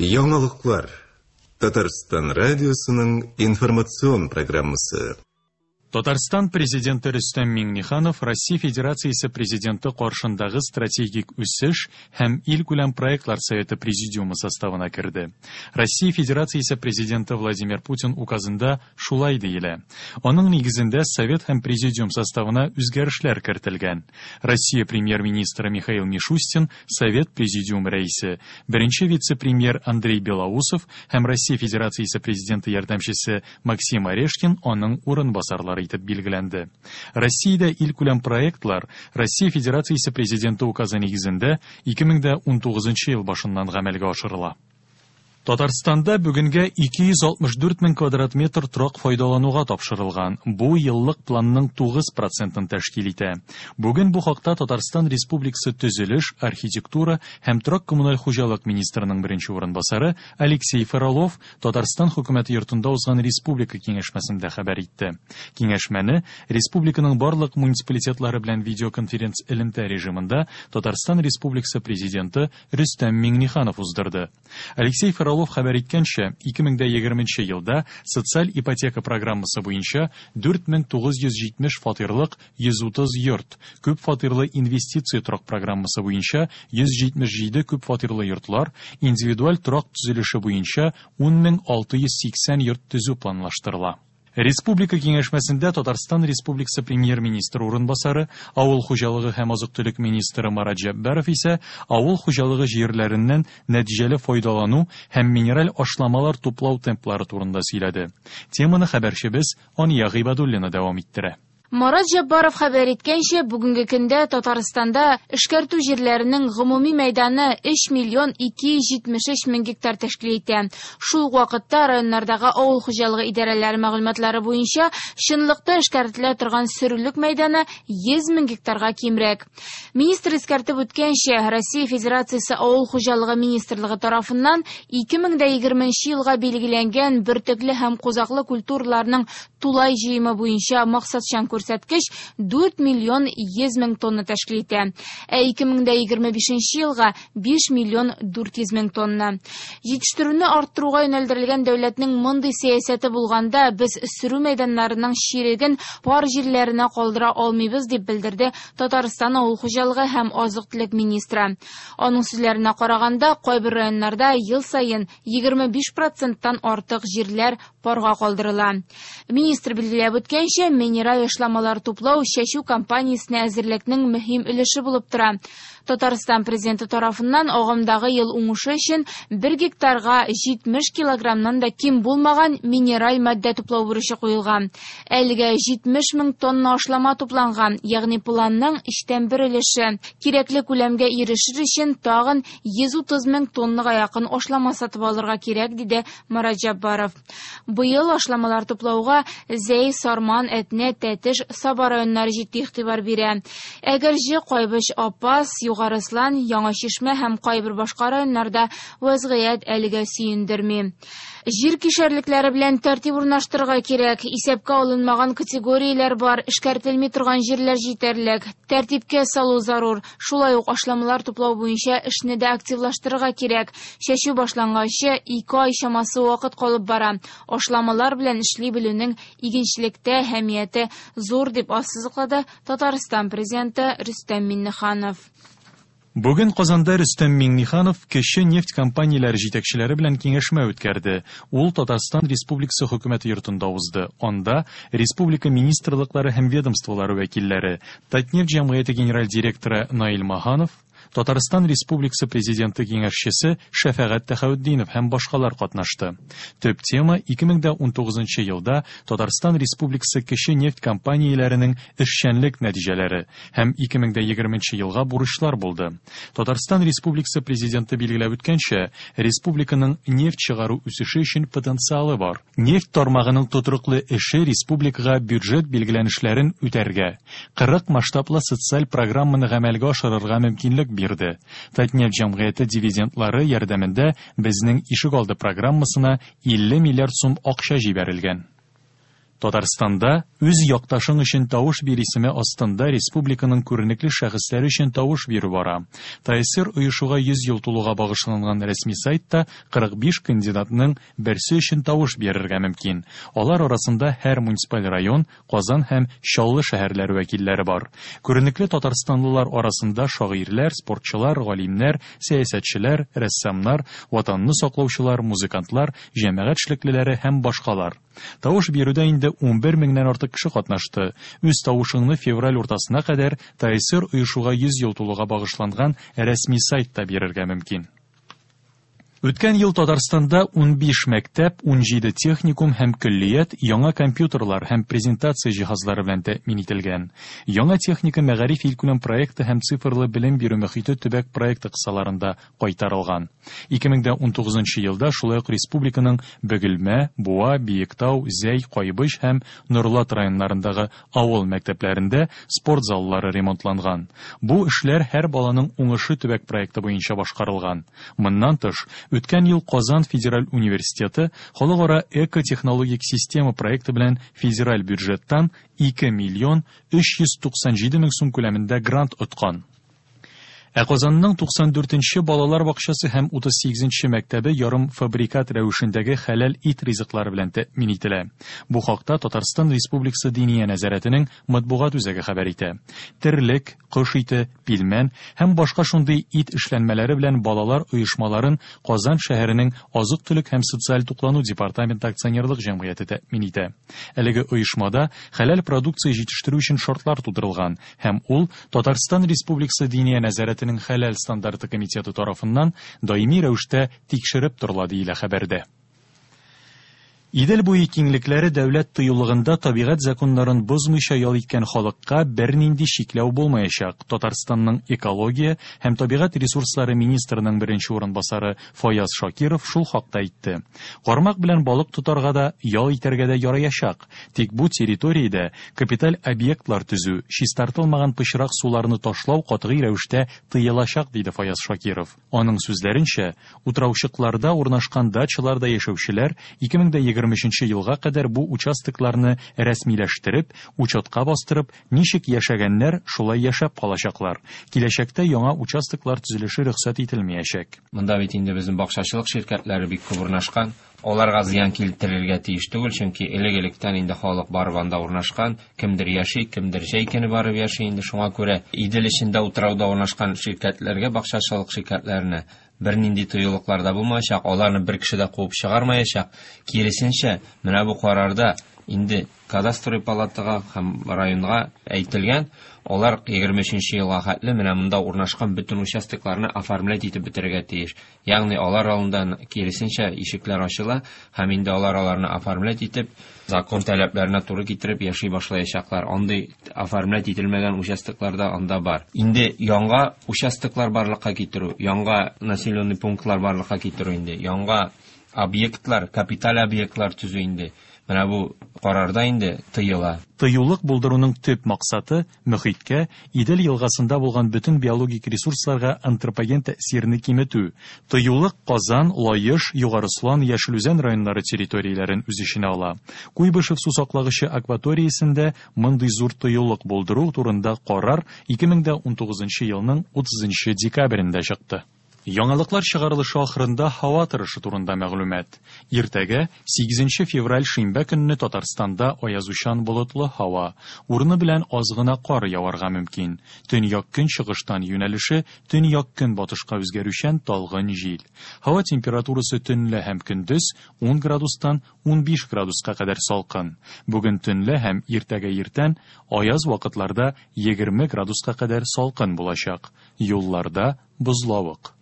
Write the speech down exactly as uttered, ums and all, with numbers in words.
Яңалыклар. Татарстан радиосының информацион программасы. Татарстан президенты Рөстәм Миңнеханов Россия Федерациясе президенты каршындагы стратегик үсеш һәм илкүләм проектлар советы президиумы составына керде. Россия Федерациясе президенты Владимир Путин указында шулай диелә. Аның нигезендә совет һәм президиум составына үзгәрешләр кертелгән. Россия премьер-министры Михаил Мишустин совет президиум рәисе, беренче вице-премьер Андрей Белоусов һәм Россия Федерациясе президенты ярдәмчесе Максим Орешкин аның урынбасарлары итеп билгеләнде. Россиядә илкүләм проектлар Россия Федерациясе президенты указы нигезендә ике мең дә унтугызынчы ел башыннан гамәлгә ашырыла. Татарстанда бүгенгә ике йөз алтмыш дүрт мең квадрат метр торак файдалануга тапшырылган. Бу еллык планның тугыз процентын тәшкил итә. Бүген бу хакта Татарстан Республикасы төзелеш, архитектура һәм торак коммуналь хуҗалык министрының беренче урынбасары Алексей Фролов Татарстан хөкүмәте йортында узган республика киңәшмәсендә хәбәр итте. Киңәшмәне республиканың барлык муниципалитетлары белән видеоконференц элемтә режимында Татарстан Республикасы президенты Рөстәм Миңнеханов уздырды. Алексей Фролов хәбәр иткәнчә, ике мең дә егерменче елда социаль ипотека программасы буенча дүрт мең тугыз йөз җитмеш фатирлык йөз утыз йорт, күп фатирлы инвестиция торак программасы буенча йөз җитмеш җиде күп фатирлы йортлар, индивидуаль торак төзелеше буенча ун мең алты йөз сиксән йорт төзү планлаштырыла. Республика киңәшмәсендә Татарстан Республикасы премьер-министры урынбасары, авыл хуҗалыгы һәм азык-төлек министры Марат Җәббаров исә авыл хуҗалыгы җирләреннән нәтиҗәле файдалану һәм минераль ашламалар туплау темплары турында сөйләде. Теманы хәбәрчебез Ания Гыйбадуллина дәвам иттерә. Марат Җәббаров хәбәр иткәнчә, бүгенге көндә Татарстанда эшкәртү җирләренең гомуми мәйданы өч миллион ике йөз җитмеш өч мең гектар тәшкил итә. Шул ук вакытта районнардагы авыл хуҗалыгы идарәләре мәгълүматлары буенча чынлыкта эшкәртелә торган сөрүлек мәйданы йөз мең гектарга кимрәк. Министр искәртеп үткәнчә, Россия Федерациясе Авыл хуҗалыгы министрлыгы тарафыннан ике мең дә егерменче елга билгеләнгән бөртекле һәм кузаклы культураларның тулай җыемы буенча максатчан күрсәткеч дүрт миллион йөз мең тонна тәшкил итә. Ә ике мең дә егерме бишенче елга биш миллион дүрт йөз мең тонна. Җитештерүне арттыруга юнәлдерелгән дәүләтнең мондый сәясәте булганда без сөрү мәйданнарының чиреген пар җирләренә калдыра алмыйбыз, дип белдерде Татарстан авыл хуҗалыгы һәм азык-төлек министры. Аның сүзләренә караганда, кайбер районнарда ел саен егерме биш проценттан артык җирләр парга калдырыла. Министр билгеләп үткәнчә, минераль ашламалар туплау чәчү кампаниясенә әзерлекнең мөһим өлеше булып тора. Татарстан президенты тарафыннан агымдагы ел уңышы өчен бер гектарга җитмеш килограммнан да ким булмаган минераль матдә туплау бурычы куелган. Әлегә җитмеш мең тонна ашлама тупланган, ягъни планның өчтән бер өлеше. Кирәкле күләмгә ирешер өчен тагын йөз утыз мең тоннага якын ашлама сатып алырга кирәк, диде Марат Җәббаров. Быел ашламалар туплауга Зәй, Сарман, Әтнә, Тәтеш, Саба районнары җитди игътибар бирә. Әгерҗе, Кайбыч, Апас, Югарыслан, Яңа Чишмә һәм кайбер башка районнарда вазгыять әлегә сөендерми. Җир кишәрлекләре белән тәртип урнаштырырга кирәк. Исәпкә алынмаган категорияләр бар, эшкәртелми торган җирләр җитәрлек. Тәртипкә салу зарур. Шулай ук ашламалар туплау буенча эшне дә активлаштырырга кирәк. Чәчү башланганчы ике ай чамасы вакыт калып бара. Ашламалар белән эшли белүнең игенчелектә әһәмияте зур, дип ассызыклады Татарстан президенты Рөстәм Миңнеханов. Бүген Казанда Рөстәм Миңнеханов кече нефть компанияләре җитәкчеләре белән киңәшмә үткәрде. Ул Татарстан Республикасы хөкүмәте йортында узды. Анда республика министрлыклары һәм ведомстволары вәкилләре, Татнефть җәмгыяте генераль директоры Наил Маханов, Татарстан Республикасы президенты киңәшчесе Шәфәгать Тәхәүтдинов һәм башкалар катнашты. Төп тема ике мең дә унтугызынчы елда Татарстан Республикасы кече нефть компанияләренең эшчәнлек нәтиҗәләре һәм ике мең дә егерменче елга бурычлар булды. Татарстан Республикасы президенты билгеләп үткәнчә, республиканың нефть чыгару үсеше өчен потенциалы бар. Нефть тармагының тотрыклы эше республикага бюджет билгеләнешләрен үтәргә, кырык масштаблы социаль программаны гамәлгә ашырырга мөмкинлек бирде. Татнефть җәмгыяте дивидендлары ярдәмендә безнең ишек алды программасына илле миллиард сум акча җибәрелгән. Татарстанда «Үз якташың өчен тавыш бир» исеме астында республиканың күренекле шәхесләре өчен тавыш бирү бара. ТАССР оешуга йөз ел тулуга багышланган рәсми сайтта кырык биш кандидатның берсе өчен тавыш бирергә мөмкин. Алар арасында һәр муниципаль район, Казан һәм Чаллы шәһәрләре вәкилләре бар. Күренекле татарстанлылар арасында шагыйрьләр, спортчылар, галимнәр, сәясәтчеләр, рәссамнар, ватанны саклаучылар, музыкантлар, җәмәгать эшлеклеләре һәм башкалар. Тавыш бирүдә инде ун бер меңнән артык кеше катнашты. Үз тавышыңны февраль уртасына кадәр ТАССР оешуга йөз ел тулуга багышланган рәсми сайтта бирергә мөмкин. Үткән ел Татарстанда ун биш мәктәп, ун җиде техникум һәм көллият яңа компьютерлар һәм презентация җиһазлары белән тәэмин ителгән. Яңа техника мәгариф илкүләм проекты һәм цифрлы белем бирү мөхите төбәк проекты кысаларында кайтарылган. Ике мең дә ун тугызынчы елда шулай ук республиканың Бөгелмә, Буа, Биектау, Зәй, Кайбыч һәм Нурлат районнарындагы авыл мәктәпләрендә спорт заллары ремонтланган. Бу эшләр һәр баланың уңышы төбәк проекты буенча башкарылган. Моннан тыш, үткән ел Казан федераль университеты халыкара экотехнологик система проекты белән федераль бюджеттан ике миллион өч йөз туксан җиде мең сум күләмендә грант откан. Ә Казанның туксан дүртенче балалар бакчасы һәм утыз сигезенче мәктәбе ярым фабрикат рәвешендәге хәләл ит ризыклары белән тәэмин ителә. Бу хакта Татарстан Республикасы Диния нәзарәтенең матбугат үзәге хәбәр итә. Терлек, кош ите, пилмән һәм башка шундый ит эшләнмәләре белән балалар оешмаларын Казан шәһәренең азык-төлек һәм социаль туклану департаменты акционерлык җәмгыяте тәэмин итә. Әлеге оешмада хәләл продукция җитештерү өчен шартлар тудырылган һәм ул Татарстан Республикасы Диния нәзарәтенең хәләл стандарты комитеты тарафыннан даими рәвештә тикшереп торыла, диелә хәбәрдә. Идел буе киңлекләре дәүләт тыюлыгында табигать законнарын бозмыйча ял иткән халыкка бернинди чикләү булмаячак. Татарстанның экология һәм табигать ресурслары министрының беренче урынбасары Фаяз Шакиров шул хакта әйтте. Кармак белән балык тотарга да, ял итәргә дә яраячак. Тик бу территориядә капиталь объектлар төзү, чистартылмаган пычрак суларны ташлау катгый рәвештә тыелачак, диде Фаяз Шакиров. Аның сүзләренчә, утраучыкларда урнашкан дачаларда яшәүчеләр ике мең дә егерме өченче елга кадәр бу участокларны рәсмиләштереп, учетка бастырып, ничек яшәгәннәр, шулай яшәп калачаклар. Киләчәктә яңа участоклар төзелеше рөхсәт ителмәячәк. Монда бит инде безнең бакчачылык ширкәтләре бик күп урнашкан. Аларга зыян китерергә тиеш түгел, чөнки элек-электән инде халык барып анда урнашкан, кемдер яши, кемдер җәй көне барып яши инде. Шуңа күрә Идел эчендә утрауда урнашкан ширкәтләргә, бакчачылык ширкәтләренә бернинди тыюлыклар да булмаячак, аларны бер кеше дә куып чыгармаячак. Киресенчә, менә бу карарда инде кадастровый палатага һәм районга әйтелгән, алар егерме өченче елга хәтле менә монда урнашкан бөтен участокларны оформлять итеп бетерергә тиеш. Ягъни алар алдында киресенчә ишекләр ачыла һәм инде алар аларны оформлять итеп, закон таләпләренә туры китереп яши башлаячаклар. Андый оформлять ителмәгән участоклар да анда бар. Инде яңа участоклар барлыкка китерү, яңа населенный пунктлар барлыкка китерү инде, яңа объектлар, капиталь объектлар төзү инде. Менә бу карарда инде тыела. Тыюлык булдыруның төп максаты мөхиткә, Идел елгасында булган бөтен биологик ресурсларга антропоген тәэсирне киметү. Тыюлык Казан, Лаеш, Югары Ослан, Яшел Үзән районнары территорияләрен үз эченә ала. Куйбышев су саклагычы акваториясендә мондый зур тыюлык булдыру турында карар ике мең дә унтугызынчы елның утызынчы декабрендә чыкты. Яңалыклар чыгарылышы ахырында һава торышы турында мәгълүмат. Иртәгә сигезенче февраль шимбә көнне Татарстанда аязучан болытлы һава, урыны белән аз гына кар яварга мөмкин. Төньяк көнчыгыштан юнәлеше төньяк көнбатышка үзгәрүчән талгын җил. Һава температурасы төнлә һәм көндез ун градустан унбиш градуска кадәр салкын. Бүген төнлә һәм иртәгә иртән аяз вакытларда егерме градуска кадәр салкын булачак. Юлларда бозлавык.